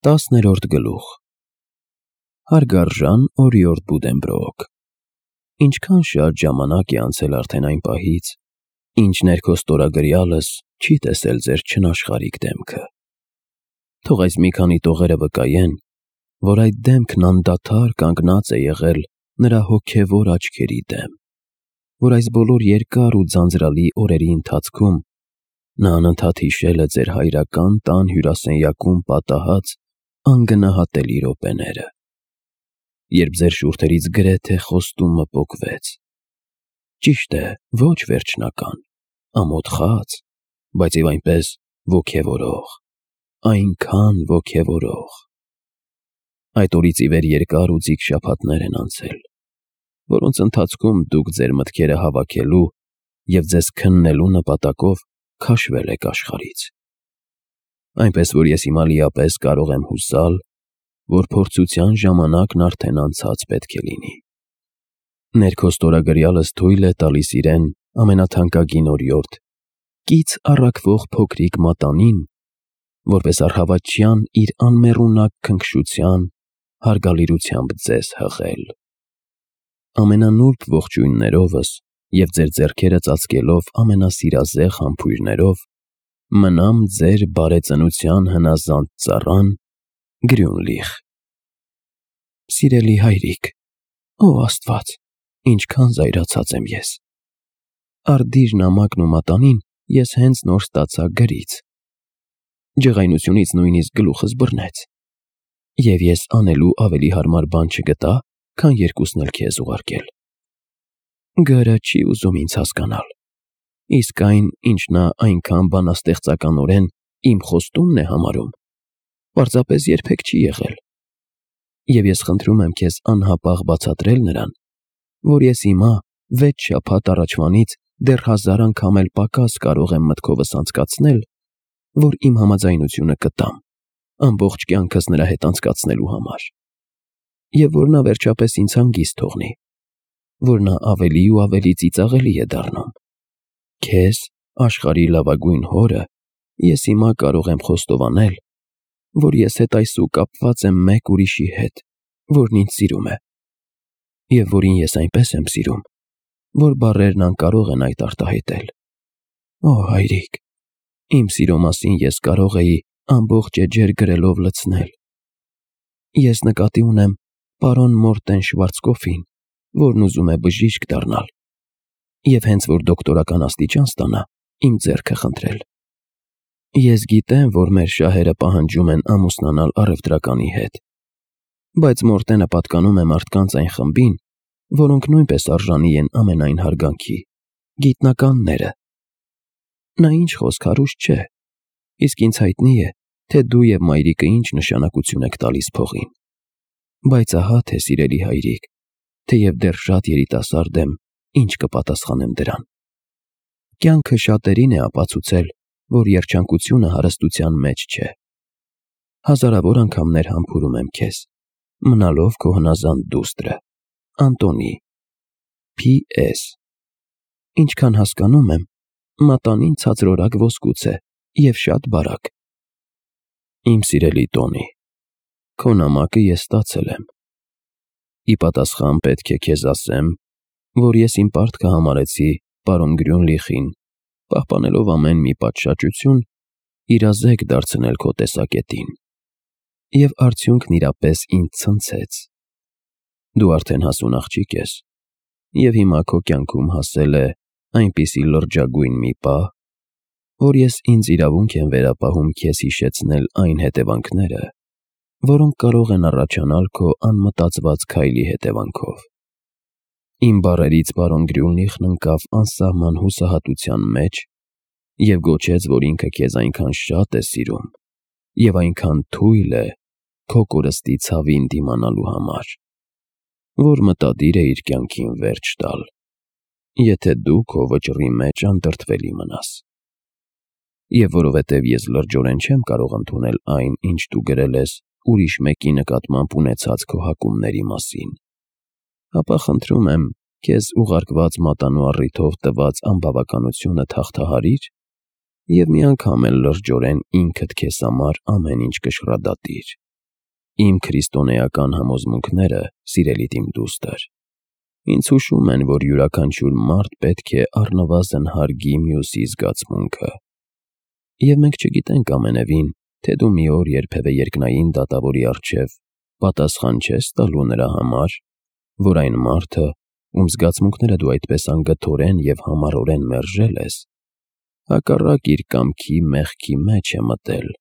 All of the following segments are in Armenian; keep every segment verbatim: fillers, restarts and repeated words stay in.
Տասներորդ գլուխ Հարգարժան օրիորդ Բուդենբրոկ, ինչքան շատ ժամանակ է անցել արդեն այն պահից, ինչ ներքո ստորագրյալս չի տեսել ձեր չնաշխարհիկ դեմքը։ Թող այս մի քանի տողերը վկայեն, որ այդ դեմքն անդադար կանգնած է եղել նրա հոգևոր աչքերի դեմ, որ այս բոլոր երկար ու ձանձրալի օրերի ընթացքում նա անընդհատ հիշել է ձեր հայրական տան հյուրասենյակում պատահած անգնահատելի րոպեները, երբ ձեր շուրթերից գրեթե խոստումը պոկվեց։ Ճիշտ է, ոչ վերջնական, ամոթխած, բայց և այնպես ոգևորող, այնքան ոգևորող։ Այդ օրից ի վեր երկար ու ձիգ շաբաթներ են անցել, որոնց ընթացքում դուք ձեր մտքերը հավաքելու և ձեզ քննելու նպատակով քաշվել եք աշխարհից, այնպես որ ես հիմա լիապես կարող եմ հուսալ, որ փորձության ժամանակն արդեն անցած պետք է լինի։ Ներքո ստորագրյալս թույլ է տալիս իրեն ամենաթանկագին օրիորդ, կից առաքվող փոքրիկ մատանին, որպես առհավատչյան իր անմեռունակ քնքշության հարգալիրությամբ ձեզ հղել։ Ամենանուրբ ողջույններովս և ձեր ձեռքերը ծածկելով ամենասիրազեղ համբույրներով, մնամ ձեր բարեծնության հնազանդ ծառան Գրյունլիխ։ Սիրելի հայրիկ, ո Աստված, ինչքան զայրացած եմ ես։ Արդիր նամակն ու մատանին ես հենց նոր ստացա գրից։ Ջղայնությունից նույնիսկ գլուխս բռնեց, և ես անելու ավելի հարմար բան չգտա, քան երկուսն էլ քեզ ուղարկել։ Գրը չի ուզում ինձ հասկանալ, իսկ այն, ինչ նա այնքան բանաստեղծականորեն իմ խոստումն է համարում, պարզապես երբեք չի եղել։ Եվ ես խնդրում եմ քեզ անհապաղ բացատրել նրան, որ ես հիմա վեց շաբաթ առաջվանից դեռ հազար անգամ էլ պակաս կարող եմ մտքովս անցկացնել, որ իմ համաձայնությունը կտամ ամբողջ կյանքս նրա հետ անցկացնելու համար, և որ նա վերջապես ինձ հանգիստ թողնի, որ նա ավելի ու ավելի ծիծաղելի է դառնում։ Քեզ, աշխարհի լավագույն հորը, ես հիմա կարող եմ խոստովանել, որ ես հետայսու կապված եմ մեկ ուրիշի հետ, որն ինձ սիրում է, և որին ես այնպես եմ սիրում, որ բառերն անկարող են այդ արտահայտել։ Օ հայրիկ, իմ սիրո մասին ես կարող էի ամբողջ էջեր գրելով լցնել։ Ես նկատի ունեմ պարոն Մորտեն Շվարցկոֆին, որն ուզում է բժիշկ դառնալ, և հենց որ դոկտորական աստիճան ստանա, իմ ձեռքը խնդրել։ Ես գիտեմ, որ մեր շահերը պահանջում են ամուսնանալ առևտրականի հետ, բայց Մորտենը պատկանում է մարդկանց այն խմբին, որոնք նույնպես արժանի են ամենայն հարգանքի, գիտնականները։ Նա ինչ խոսք հարուստ չէ, իսկ ինձ հայտնի է, թե դու և մայրիկը ինչ նշանակություն եք տալիս փողին։ Բայց ահա թե, սիրելի հայրիկ, թեև դեռ շատ երիտասարդ եմ, ինչ կպատասխանեմ դրան։ Կյանքը շատերին է ապացուցել, որ երջանկությունը հարստության մեջ չէ։ Հազարավոր անգամներ համբուրում եմ քեզ, մնալով քո հնազանդ դուստրը, Անտոնի։ Փ Ս Ինչքան հասկանում եմ, մատանին ցածրորակ ոսկուց է և շատ բարակ։ Իմ սիրելի Տոնի, քո նամակը ես ստացել եմ։ Ի պատասխան պետք է քեզ ասեմ, որ ես իմ պարտքը համարեցի պարոն Գրյունլիխին, պահպանելով ամեն մի պատշաճություն, իրազեկ դարձնել քո տեսակետին, և արդյունքն իրապես ինձ ցնցեց։ Դու արդեն հասուն աղջիկ ես, և հիմա քո կյանքում հասել է այնպիսի լրջագույն մի պահ, որ ես ինձ իրավունք եմ վերապահում քեզ հիշեցնել այն հետևանքները, որոնք կարող են առաջանալ քո անմտածված քայլի հետևանքով։ Իմ բառերից պարոն Գրյունլիխն ընկավ անսահման հուսահատության մեջ և գոչեց, որ ինքը քեզ այնքան շատ է սիրում և այնքան թույլ է քո կորստի ցավին դիմանալու համար, որ մտադիր է իր կյանքին վերջ տալ, եթե դու քո վճռի մեջ անդրդվելի մնաս։ Եվ որովհետև ես լրջորեն չեմ կարող ընդունել այն, ինչ դու գրել ես ուրիշ մեկի նկատմամբ ունեցած քո հակումների մասին, ապա խնդրում եմ քեզ ուղարկված մատանու առիթով տված անբավականությունը թաղթահարիր և մի անգամ էլ լրջորեն ինքդ քեզ համար ամեն ինչ կշռադատիր։ Իմ քրիստոնեական համոզմունքները, սիրելի իմ դուստր, ինձ հուշում են, որ յուրաքանչյուր մարդ պետք է առնվազն հարգի մյուսի զգացմունքը։ Եվ մենք չգիտենք ամենևին, թե դու մի օր երբևէ երկնային դատավորի առջև պատասխան չես տալու նրա համար, որ այն մարդը, ում զգացմունքները դու այդպես անգթորեն և համառորեն մերժել ես, հակառակ իր կամքի մեղքի մեջ է մտել,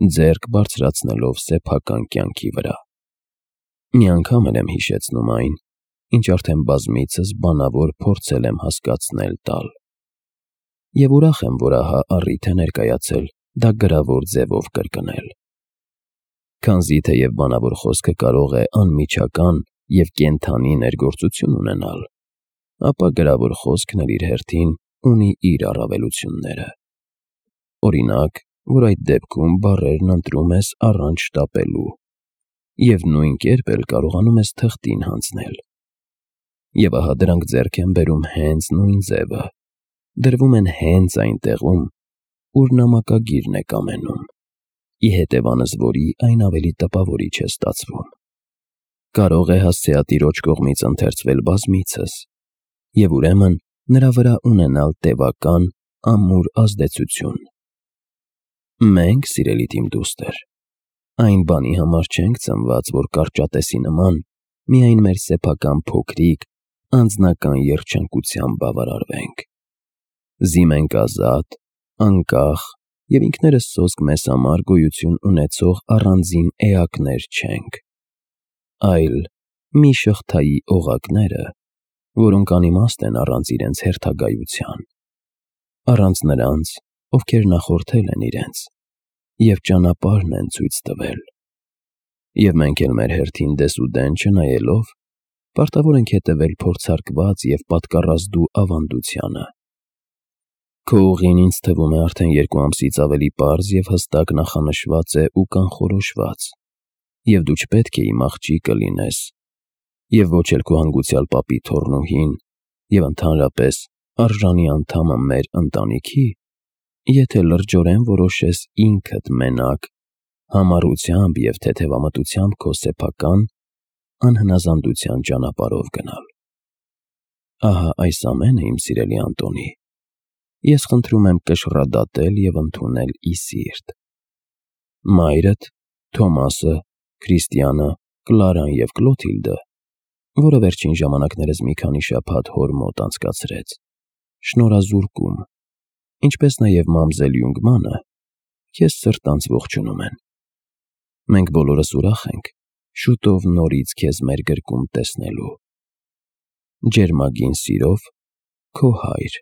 ձեռք բարձրացնելով սեփական կյանքի վրա։ Մի անգամ էլ եմ հիշեցնում այն, ինչ արդեն բազմիցս բանավոր փորձել եմ հասկացնել տալ։ Եվ ուրախ եմ, որ ահա առիթ է ներկայացել դա գրավոր ձևով կրկնել։ Քանզի թեև բանավոր խոսքը կարող է անմիջական և կենդանի ներգործություն ունենալ, ապա գրավոր խոսքն էլ իր հերթին ունի իր առավելությունները։ Օրինակ, որ այդ դեպքում բառերն ընտրում ես առանց շտապելու և նույն կերպ էլ կարողանում ես թղթին հանձնել։ Եվ ահա դրանք ձեռք են բերում հենց նույն ձևը, դրվում են հենց այն տեղում, ուր նամակագիրն է կամենում, ի հետևանս որի այն ավելի տպավորիչ է ստացվում։ Կարող է հասցեատիրոջ կողմից ընթերցվել բազմիցս և ուրեմն նրա վրա ունենալ տևական, ամուր ազդեցություն։ Մենք, սիրելի իմ դուստր, այն բանի համար չենք ծնված, որ կարճատեսի նման միայն մեր սեփական փոքրիկ, անձնական երջանկությամբ բավարարվենք։ Զիմենք ազատ, անկախ և ինքներս սոսկ մեզ համար գոյություն ունեցող առանձին էակներ չենք, այլ մի շղթայի օղակները, որոնք անիմաստ են առանց իրենց հերթագայության, առանց նրանց, ովքեր նախորդել են իրենց և ճանապարհն են ցույց տվել։ Եվ մենք էլ մեր հերթին դեսուդեն չնայելով, պարտավոր ենք հետևել փորձարկված և պատկառազդու ավանդությանը։ Քո ուղին ինձ թվում է արդեն երկու ամսից ավելի պարզ և հստակ նախանշված է ու կանխորոշված, և դու չպետք է իմ աղջիկը լինես, և ոչ էլ քո հանգուցյալ պապի թոռնուհին և ընդհանրապես արժանի անդամը մեր ընտանիքի, եթե լրջորեն որոշես ինքդ մենակ, համառությամբ և թեթևամտությամբ քո սեփական, անհնազանդության ճանապարհով գնալ։ Ահա այս ամենը, իմ սիրելի Անտոնի, ես խնդրում եմ կշռադատել և ընդունել ի սիրտ։ Մայրդ, Թոմասը, Քրիստիանը, Կլարան և Կլոթիլդը, որը վերջին ժամանակներս մի քանի շաբաթ հոր մոտ անցկացրեց, շնորհազուրկում, ինչպես նաև մամզել Յունգմանը, քեզ սրտանց ողջունում են։ Մենք բոլորս ուրախ ենք շուտով նորից քեզ մեր գրկում տեսնելու։ Ջերմագին սիրով, քո հայր։